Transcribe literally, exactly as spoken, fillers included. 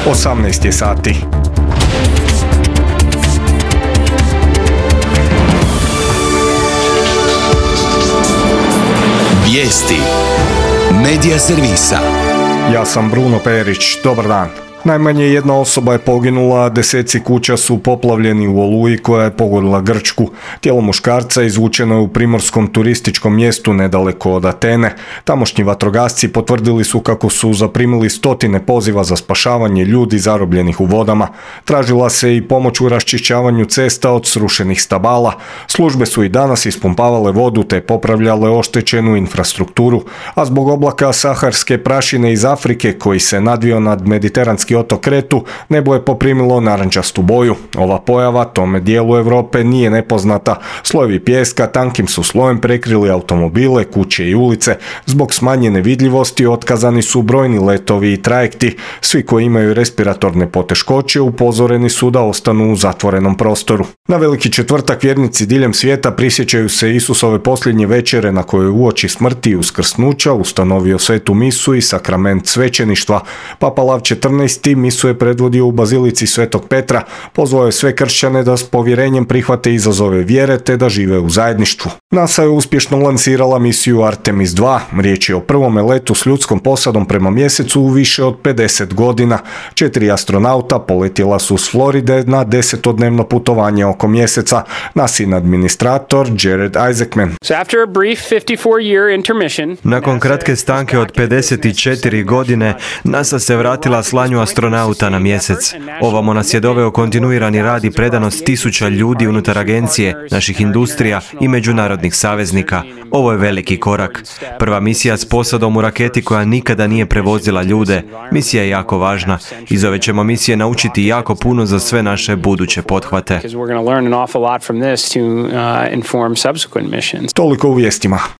osamnaest je sati. Vijesti Medija servisa. Ja sam Bruno Perić, dobar dan. Najmanje jedna osoba je poginula, a deseci kuća su poplavljeni u oluji koja je pogodila Grčku. Tijelo muškarca izvučeno je u primorskom turističkom mjestu nedaleko od Atene. Tamošnji vatrogasci potvrdili su kako su zaprimili stotine poziva za spašavanje ljudi zarobljenih u vodama. Tražila se i pomoć u raščišćavanju cesta od srušenih stabala. Službe su i danas ispumpavale vodu te popravljale oštećenu infrastrukturu, a zbog oblaka saharske prašine iz Afrike koji se nadvio nad mediteranski otok Kretu, nebo je poprimilo narančastu boju. Ova pojava tome dijelu Europe nije nepoznata. Slojevi pijeska tankim su slojem prekrili automobile, kuće i ulice. Zbog smanjene vidljivosti otkazani su brojni letovi i trajekti. Svi koji imaju respiratorne poteškoće upozoreni su da ostanu u zatvorenom prostoru. Na Veliki četvrtak vjernici diljem svijeta prisjećaju se Isusove posljednje večere na kojoj uoči smrti i uskrsnuća ustanovio svetu misu i sakrament svećeništva. Papa Lav četrnaesti misu je predvodio u bazilici Svetog Petra, pozvao je sve kršćane da s povjerenjem prihvate izazove vjere te da žive u zajedništvu. NASA je uspješno lansirala misiju Artemis dva, riječ je o prvome letu s ljudskom posadom prema mjesecu u više od pedeset godina. Četiri astronauta poletjela su s Floride na desetodnevno putovanje oko mjeseca. nasin administrator Jared Isaacman. Nakon kratke stanke od pedeset četiri godine, NASA se vratila slanju astronauta na mjesec. Ovamo nas je doveo kontinuirani rad i predanost tisuća ljudi unutar agencije, naših industrija i međunarodnih saveznika. Ovo je veliki korak. Prva misija s posadom u raketi koja nikada nije prevozila ljude. Misija je jako važna. Iz ove ćemo misije naučiti jako puno za sve naše buduće pothvate. Toliko u vijestima.